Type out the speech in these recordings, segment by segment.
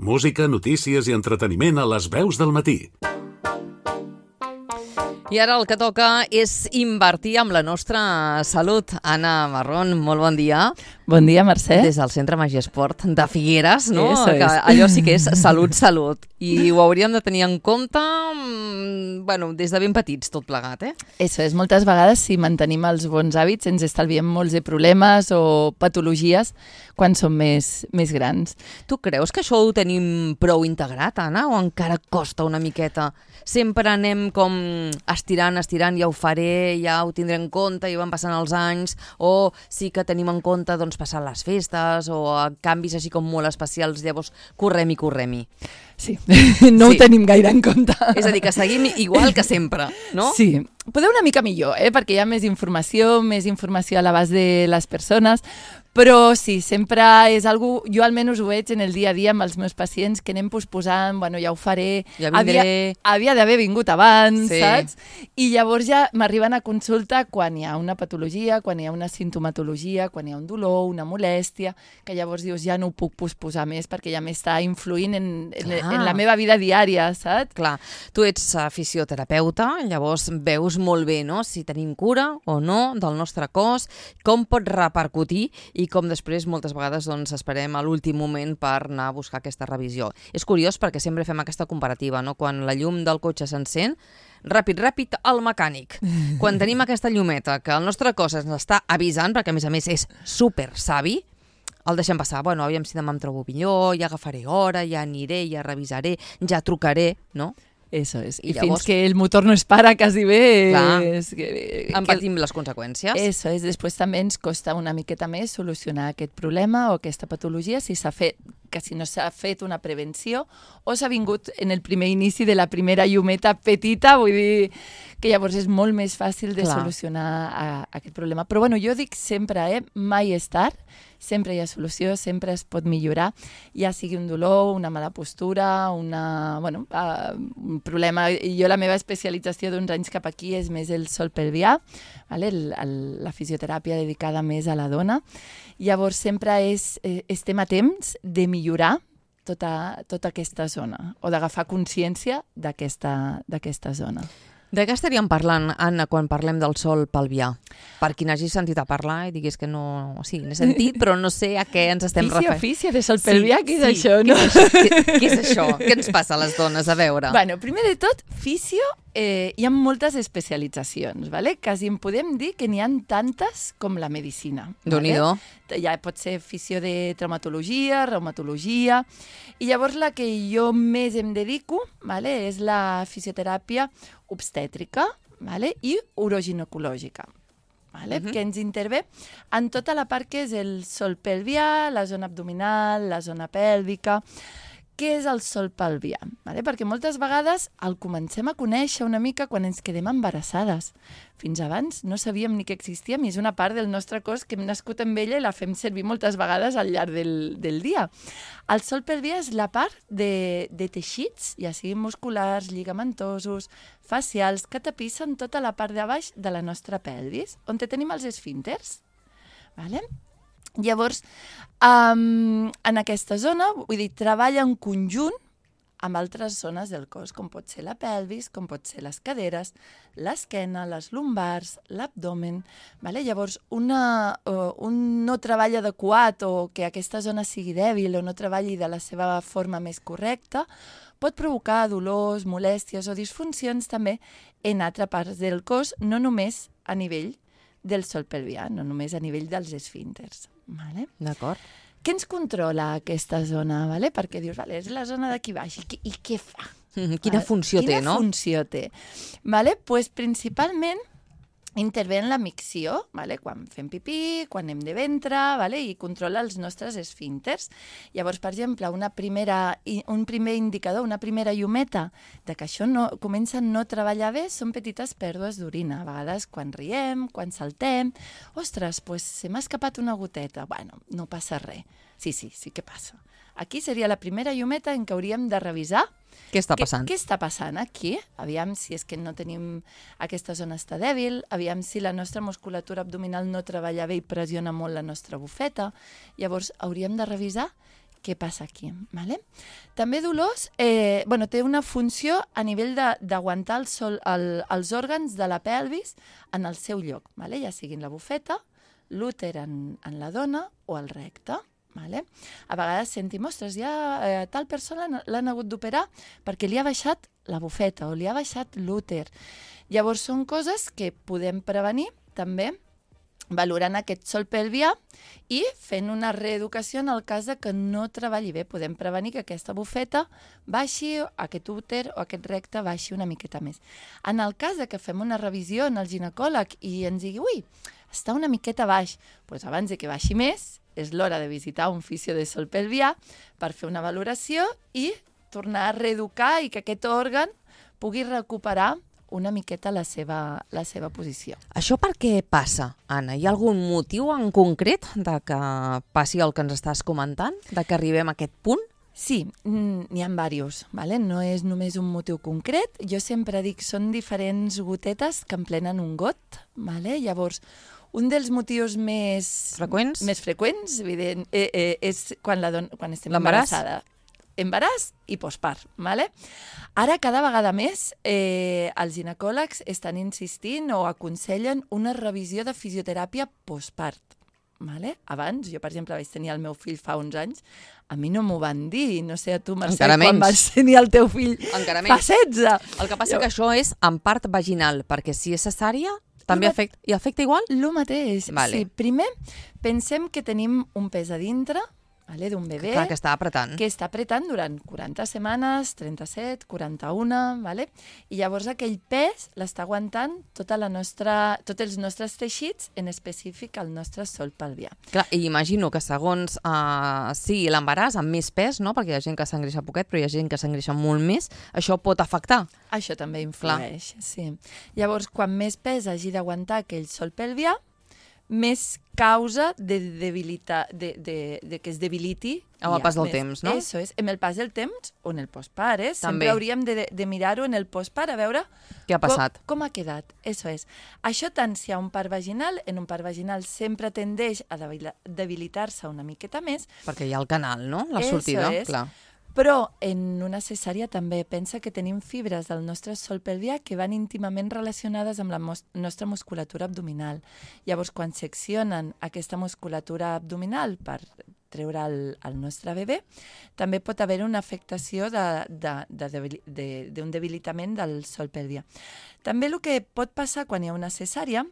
Música, notícies i entreteniment a les veus del matí. I ara el que toca és invertir amb la nostra salut. Anna Marrón, molt bon dia. Bon dia, Mercè. Des del Centre Magiesport de Figueres, no? Eso Que es. allò sí que és salut. I ho hauríem de tenir en compte, des de ben petits, tot plegat, eh? Eso és. Moltes vegades, si mantenim els bons hàbits, ens estalviem molts de problemes o patologies quan som més grans. Tu creus que això ho tenim prou integrat, Anna, o encara costa una miqueta? Sempre anem com estirant, ja ho faré, ja ho tindré en compte, ja van passant els anys, o sí que tenim en compte passant les festes, o canvis així com molt especials, llavors correm-hi. Sí, no ho tenim gaire en compte. És a dir, que seguim igual que sempre, no? Sí, poder una mica millor, perquè hi ha més informació a l'abast de les persones, però sí, sempre és algo, jo almenys ho veig en el dia a dia amb els meus pacients, que anem posposant, ja ho faré, ja vindré. Havia d'haver vingut abans, sí. Saps? I llavors ja m'arriben a consulta quan hi ha una patologia, quan hi ha una sintomatologia, quan hi ha un dolor, una molèstia, que llavors dius ja no ho puc posposar més perquè ja m'està influint en la meva vida diària, saps? Clar, tu ets fisioterapeuta, llavors veus molt bé, no?, si tenim cura o no del nostre cos, com pot repercutir i com després moltes vegades esperem a l'últim moment per anar a buscar aquesta revisió. És curiós perquè sempre fem aquesta comparativa, no? Quan la llum del cotxe s'encén, ràpid al mecànic. Quan tenim aquesta llumeta que el nostre cos ens està avisant, perquè a més és super savi, el deixem passar. Aviam si demà em trobo millor, ja agafaré hora, ja aniré, ja revisaré, ja trucaré, no? Eso és. I llavors, fins que el motor no es para quasi bé... en patim les conseqüències. Eso és. Després també ens costa una miqueta més solucionar aquest problema o aquesta patologia si no s'ha fet una prevenció o s'ha vingut en el primer inici de la primera llumeta petita, vull dir que llavors és molt més fàcil de solucionar aquest problema. Però jo dic sempre, mai és tard, sempre hi ha solució, sempre es pot millorar, ja sigui un dolor, una mala postura, un problema. Jo la meva especialització d'uns anys cap aquí és més el sol pelvià, la fisioteràpia dedicada més a la dona. Llavors sempre estem a temps de millorar tota aquesta zona o d'agafar consciència d'aquesta zona. De què estaríem parlant, Anna, quan parlem del sol pelvià? Per qui n'hagi sentit a parlar i diguis que no... Sí, n'he sentit, però no sé a què ens estem referint. Fisio de sol pelvià, què és això, no? Què és això? Què ens passa a les dones? A veure. Primer de tot, fisio, hi ha moltes especialitzacions, quasi en podem dir que n'hi ha tantes com la medicina. Déu-n'hi-do. Ja pot ser fisio de traumatologia, reumatologia, i llavors la que jo més em dedico és la fisioteràpia obstètrica i uroginecològica, que ens intervé en tota la part que és el sol pelvià, la zona abdominal, la zona pèlvica. Què és el sol pelvià? Perquè moltes vegades el comencem a conèixer una mica quan ens quedem embarassades. Fins abans no sabíem ni que existíem i és una part del nostre cos que hem nascut amb ella i la fem servir moltes vegades al llarg del dia. El sol pelvià és la part de teixits, ja siguin musculars, lligamentosos, facials, que tapissen tota la part de baix de la nostra pelvis, on tenim els esfínters. Llavors, en aquesta zona, treballa en conjunt amb altres zones del cos, com pot ser la pelvis, com pot ser les caderes, l'esquena, les lumbars, l'abdomen. Llavors, un no treball adequat o que aquesta zona sigui dèbil o no treballi de la seva forma més correcta pot provocar dolors, molèsties o disfuncions també en altres parts del cos, no només a nivell del sol pelvià, no només a nivell dels esfínters. D'acord. Què ens controla aquesta zona? Perquè dius, és la zona d'aquí baix, i què fa? Quina funció té, no? Quina funció té? Principalment intervé en la micció, quan fem pipí, quan anem de ventre, i controla els nostres esfínters. Llavors, per exemple, un primer indicador, una primera llumeta de que això comença a no treballar bé són petites pèrdues d'orina. A vegades, quan riem, quan saltem, ostres, se m'ha escapat una goteta. No passa res. Sí que passa. Aquí seria la primera llumeta en què hauríem de revisar què està passant. Què està passant aquí? Aviam si és que no tenim... Aquesta zona està dèbil, aviam si la nostra musculatura abdominal no treballa bé i pressiona molt la nostra bufeta. Llavors, hauríem de revisar què passa aquí. Vale? També dolors, té una funció a nivell d'aguantar els òrgans de la pelvis en el seu lloc, vale? Ja siguin la bufeta, l'úter en la dona o el recte. Vale? A vegades sentim, ostres, tal persona l'han hagut d'operar perquè li ha baixat la bufeta o li ha baixat l'úter. Llavors són coses que podem prevenir també valorant aquest sòl pelvià i fent una reeducació en el cas de que no treballi bé. Podem prevenir que aquesta bufeta baixi, aquest úter o aquest recte baixi una miqueta més. En el cas de que fem una revisió en el ginecòleg i ens digui, ui, està una miqueta baix, doncs abans de que baixi més, és l'hora de visitar un fisio de sòl pelvià per fer una valoració i tornar a reeducar i que aquest òrgan pugui recuperar una miqueta la seva posició. Això per què passa, Anna? Hi ha algun motiu en concret de que passi el que ens estàs comentant, de que arribem a aquest punt? Sí, n'hi ha diversos, ¿vale? No és només un motiu concret. Jo sempre dic, són diferents gotetes que emplenen un got, ¿vale? Llavors, un dels motius més freqüents evident, és quan estem embarassada. Embaràs i postpart. ¿Vale? Ara, cada vegada més, els ginecòlegs estan insistint o aconsellen una revisió de fisioteràpia postpart. ¿Vale? Abans, jo, per exemple, vaig tenir el meu fill fa uns anys, a mi no m'ho van dir, no sé a tu, Mercè, quan vas tenir el teu fill fa 16. El que passa que això és en part vaginal, perquè si és cesària, també afecta igual? El mateix. Vale. Sí, primer, pensem que tenim un pes a dintre, vale, d'un bebè que està apretant. Que està apretant durant 40 setmanes, 37, 41, vale? I llavors aquell pes l'està aguantant tots els nostres teixits, en específic el nostre sòl pelvià. Clar, i imagino que segons sigui l'embaràs amb més pes, no? Perquè hi ha gent que s'engreixa poquet, però hi ha gent que s'engreixa molt més, això pot afectar. Això també influeix, sí. Llavors, quan més pes hagi d'aguantar aquell sòl pelvià, més causa de que es debiliti amb el pas del temps, no? Això és, amb el pas del temps o en el postpart, sempre hauríem de mirar-ho en el postpart a veure què ha passat. Com ha quedat. Això tant si hi ha un part vaginal, en un part vaginal sempre tendeix a debilitar-se una miqueta més. Perquè hi ha el canal, no? La sortida, clar. Però en una cesària també pensa que tenim fibres del nostre sòl pelvià que van íntimament relacionades amb la nostra musculatura abdominal. Llavors, quan seccionen aquesta musculatura abdominal per treure el nostre bebè, també pot haver una afectació d'un debilitament del sòl pelvià. També el que pot passar quan hi ha una cesària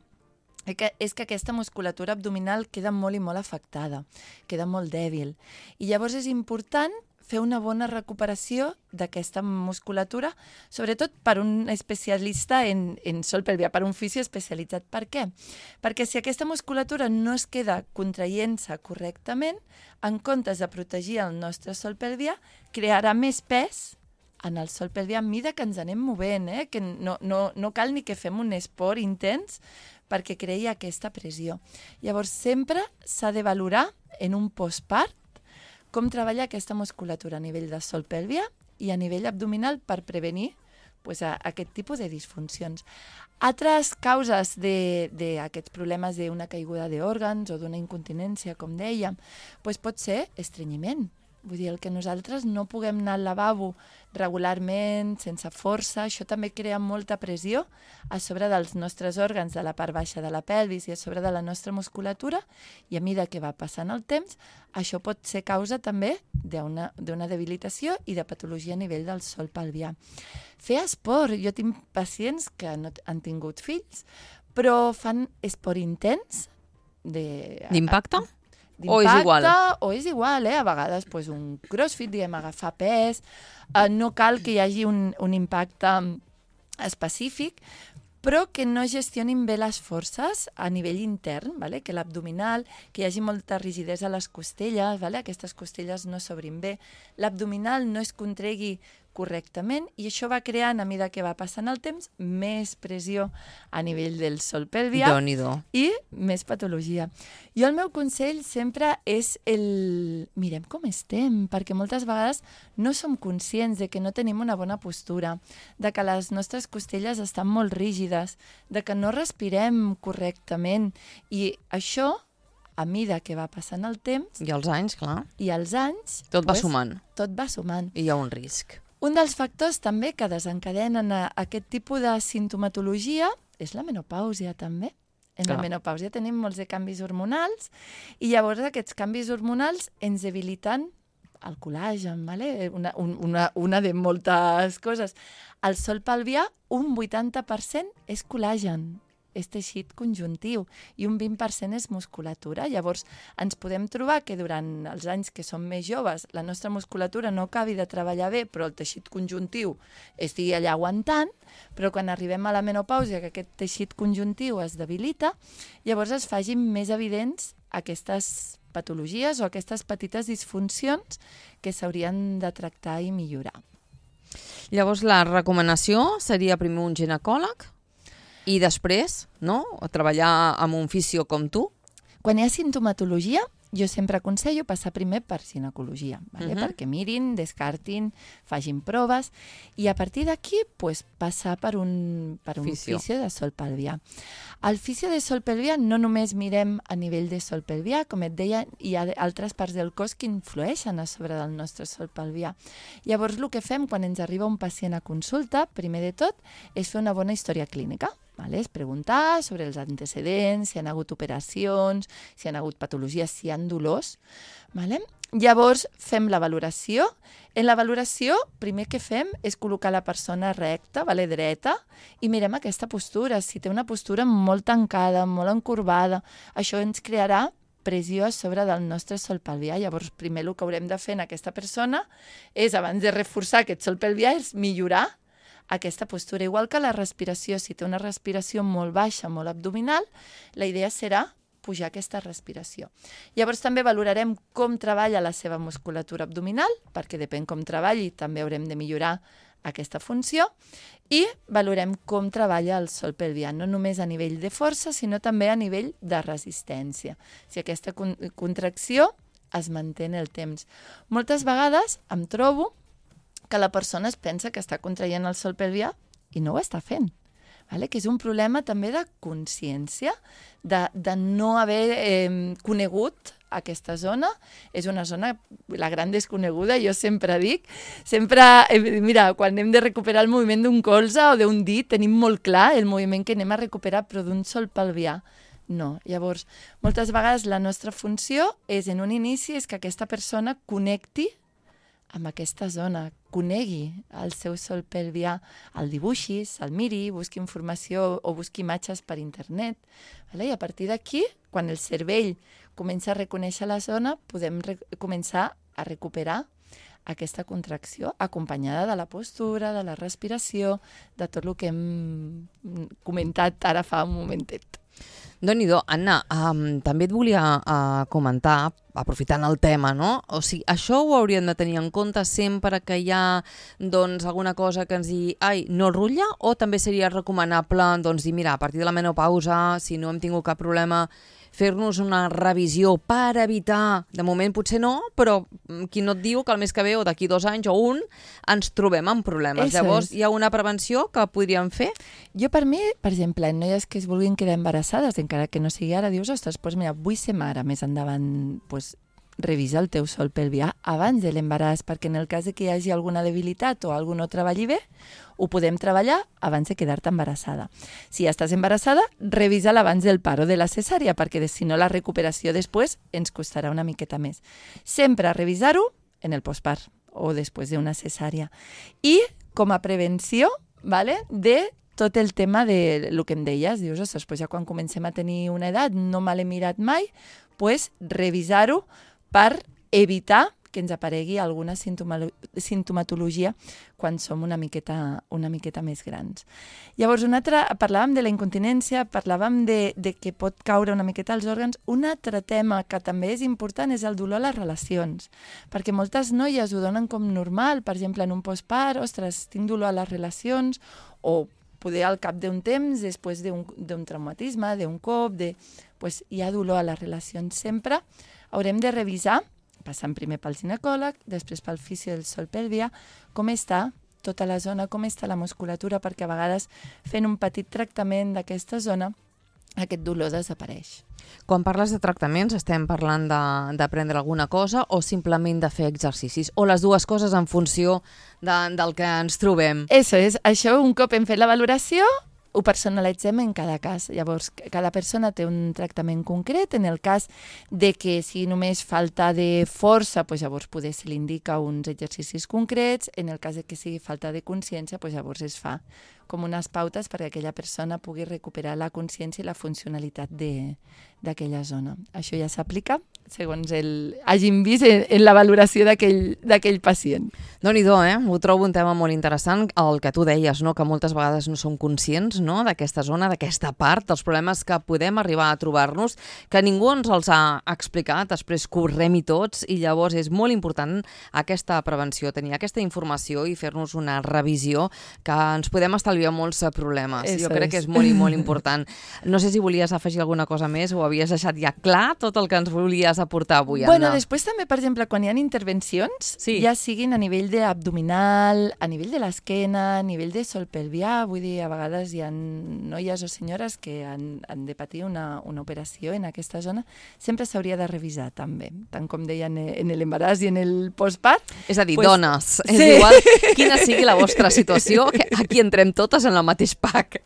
és que aquesta musculatura abdominal queda molt i molt afectada, queda molt dèbil. I llavors és important fer una bona recuperació d'aquesta musculatura, sobretot per un especialista en sòl pelvià, per un fisio especialitzat. Per què? Perquè si aquesta musculatura no es queda contraient-se correctament, en comptes de protegir el nostre sòl pelvià, crearà més pes en el sòl pelvià a mida que ens anem movent, que no cal ni que fem un esport intens perquè creï aquesta pressió. Llavors, sempre s'ha de valorar en un postpart com treballar aquesta musculatura a nivell de sòl pelvià i a nivell abdominal per prevenir aquest tipus de disfuncions. Altres causes d'aquests problemes d'una caiguda d'òrgans o d'una incontinència, com dèiem, pot ser estrenyiment. Vull dir, el que nosaltres no puguem anar al lavabo regularment, sense força, això també crea molta pressió a sobre dels nostres òrgans de la part baixa de la pelvis i a sobre de la nostra musculatura, i a mesura que va passant el temps, això pot ser causa també d'una debilitació i de patologia a nivell del sòl pelvià. Fer esport. Jo tinc pacients que no han tingut fills, però fan esport intens. D'impacte? O és igual? O és igual, a vegades un crossfit, agafar pes, no cal que hi hagi un impacte específic, però que no gestionin bé les forces a nivell intern, que l'abdominal, que hi hagi molta rigidesa a les costelles, aquestes costelles no s'obrin bé, l'abdominal no es contregui correctament, i això va creant, a mesura que va passant el temps, més pressió a nivell del sòl pelvià i més patologia. Jo el meu consell sempre és mirem com estem, perquè moltes vegades no som conscients de que no tenim una bona postura, de que les nostres costelles estan molt rígides, de que no respirem correctament, i això a mida que va passant el temps I els anys, clar. i els anys... Tot va sumant. Tot va sumant. I hi ha un risc. Un dels factors també que desencadenen aquest tipus de sintomatologia és la menopàusia també. En la menopàusia tenim molts de canvis hormonals i llavors aquests canvis hormonals ens debiliten el col·làgen, ¿vale? Una de moltes coses. El sol pelvià, un 80% és col·làgen, és teixit conjuntiu, i un 20% és musculatura. Llavors, ens podem trobar que durant els anys que som més joves la nostra musculatura no acabi de treballar bé, però el teixit conjuntiu estigui allà aguantant, però quan arribem a la menopàusia, que aquest teixit conjuntiu es debilita, llavors es facin més evidents aquestes patologies o aquestes petites disfuncions que s'haurien de tractar i millorar. Llavors, la recomanació seria primer un ginecòleg i després, no?, treballar amb un fisio com tu. Quan hi ha sintomatologia, jo sempre aconsello passar primer per ginecologia, ¿vale? Perquè mirin, descartin, facin proves, i a partir d'aquí pues, passar per un fisio de sol pelvià. Al fisio de sol pelvià no només mirem a nivell de sol pelvià, com et deia, hi ha altres parts del cos que influeixen a sobre del nostre sol pelvià. Llavors, el que fem quan ens arriba un pacient a consulta, primer de tot, és fer una bona història clínica. Vale? És preguntar sobre els antecedents, si han hagut operacions, si han hagut patologies, si hi ha dolors. Vale? Llavors fem la valoració. En la valoració, primer que fem és col·locar la persona recta, vale? Dreta, i mirem aquesta postura. Si té una postura molt tancada, molt encorbada, això ens crearà pressió a sobre del nostre sol pelvià. Llavors, primer el que haurem de fer en aquesta persona és, abans de reforçar aquest sol pelvià, és millorar aquesta postura. Igual que la respiració, si té una respiració molt baixa, molt abdominal, la idea serà pujar aquesta respiració. Llavors també valorarem com treballa la seva musculatura abdominal, perquè depèn com treballi, també haurem de millorar aquesta funció, i valorem com treballa el sol pelvià, no només a nivell de força, sinó també a nivell de resistència. Si aquesta contracció es manté en el temps. Moltes vegades em trobo que la persona es pensa que està contraient el sol pelvià i no ho està fent. Vale? Que és un problema també de consciència, de no haver conegut aquesta zona. És una zona, la gran desconeguda, jo sempre dic. Mira, quan hem de recuperar el moviment d'un colze o d'un dit, tenim molt clar el moviment que anem a recuperar, però d'un sol pelvià no. Llavors, moltes vegades la nostra funció és, en un inici, és que aquesta persona connecti amb aquesta zona, conegui el seu sol pelvià, el dibuixis, el miri, busqui informació o busqui imatges per internet. Vale? I a partir d'aquí, quan el cervell comença a reconèixer la zona, podem començar a recuperar aquesta contracció, acompanyada de la postura, de la respiració, de tot el que hem comentat ara fa un momentet. Déu-n'hi-do. Anna, també et volia comentar, aprofitant el tema, no? O sigui, això ho hauríem de tenir en compte sempre que hi ha doncs, alguna cosa que ens digui ai, no rutlla, o també seria recomanable doncs, dir, mira, a partir de la menopausa, si no hem tingut cap problema, fer-nos una revisió per evitar, de moment potser no, però qui no et diu que el mes que ve o d'aquí 2 anys o un ens trobem amb problemes. Llavors, hi ha una prevenció que podríem fer? Jo, per mi, per exemple, en noies que es vulguin quedar embarassades, encara que no sigui ara, dius, ostres, doncs mira, vull ser mare més endavant, doncs revisa el teu sol pelvià abans de l'embaràs, perquè en el cas de que hi hagi alguna debilitat o algú no treballi bé, ho podem treballar abans de quedar-te embarassada. Si ja estàs embarassada, revisa-la abans del part o de la cesària, perquè si no la recuperació després ens costarà una miqueta més. Sempre revisar-ho en el postpart o després d'una cesària. I com a prevenció, vale, de tot el tema de lo que em deies, dius, ostres, ja quan comencem a tenir una edat, no me l'he mirat mai, doncs revisar-ho per evitar que ens aparegui alguna sintomatologia quan som una miqueta més grans. Llavors, parlàvem de la incontinència, parlàvem de que pot caure una miqueta als òrgans. Un altre tema que també és important és el dolor a les relacions, perquè moltes noies ho donen com normal, per exemple, en un postpart, ostres, tinc dolor a les relacions, o poder al cap d'un temps, després d'un traumatisme, d'un cop, pues, hi ha dolor a les relacions. Sempre haurem de revisar, passant primer pel ginecòleg, després pel fisio del sol pelvià, com està tota la zona, com està la musculatura, perquè a vegades fent un petit tractament d'aquesta zona aquest dolor desapareix. Quan parles de tractaments, estem parlant de prendre alguna cosa o simplement de fer exercicis? O les dues coses en funció del que ens trobem? Això és. Això, un cop hem fet la valoració, ho personalitzem en cada cas. Llavors, cada persona té un tractament concret. En el cas de que sigui només falta de força, doncs llavors poder se li indica uns exercicis concrets. En el cas de que sigui falta de consciència, doncs llavors es fa com unes pautes perquè aquella persona pugui recuperar la consciència i la funcionalitat d'aquella zona. Això ja s'aplica segons hagin vist en la valoració d'aquell pacient. Déu-n'hi-do, ho trobo un tema molt interessant, el que tu deies, no? Que moltes vegades no som conscients, no? D'aquesta zona, d'aquesta part, dels problemes que podem arribar a trobar-nos, que ningú ens els ha explicat, després correm-hi tots, i llavors és molt important aquesta prevenció, tenir aquesta informació i fer-nos una revisió, que ens podem estalviar molts problemes. Jo crec que és molt i molt important. No sé si volies afegir alguna cosa més o havies deixat ja clar tot el que ens volies aportar avui, Anna. Bueno, després també, per exemple, quan hi ha intervencions, ja siguin a nivell abdominal, a nivell de l'esquena, a nivell de sol pelvià, vull dir, a vegades hi ha noies o senyores que han de patir una operació en aquesta zona, sempre s'hauria de revisar també, tant com deien en l'embaràs i en el postpart. És a dir, dones, és igual quina sigui la vostra situació, que aquí entrem totes en el mateix pack.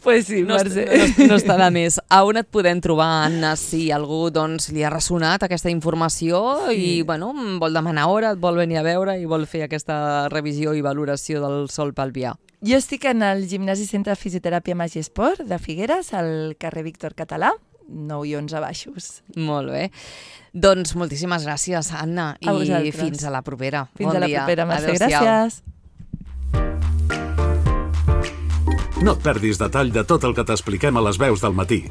Pues sí, Mercè. No està de més. A on et podem trobar, Anna, si algú li ha ressonat aquesta informació i vol demanar hora, et vol venir a veure i vol fer aquesta revisió i valoració del sol pelvià? Jo estic en el Gimnàs i Centre de Fisioteràpia Magi Esport de Figueres, al carrer Víctor Català, 9 i 11 baixos. Molt bé. Doncs moltíssimes gràcies, Anna, i fins a la propera. Fins a la propera, Mercè. Gràcies. No et perdis detall de tot el que t'expliquem a les veus del matí.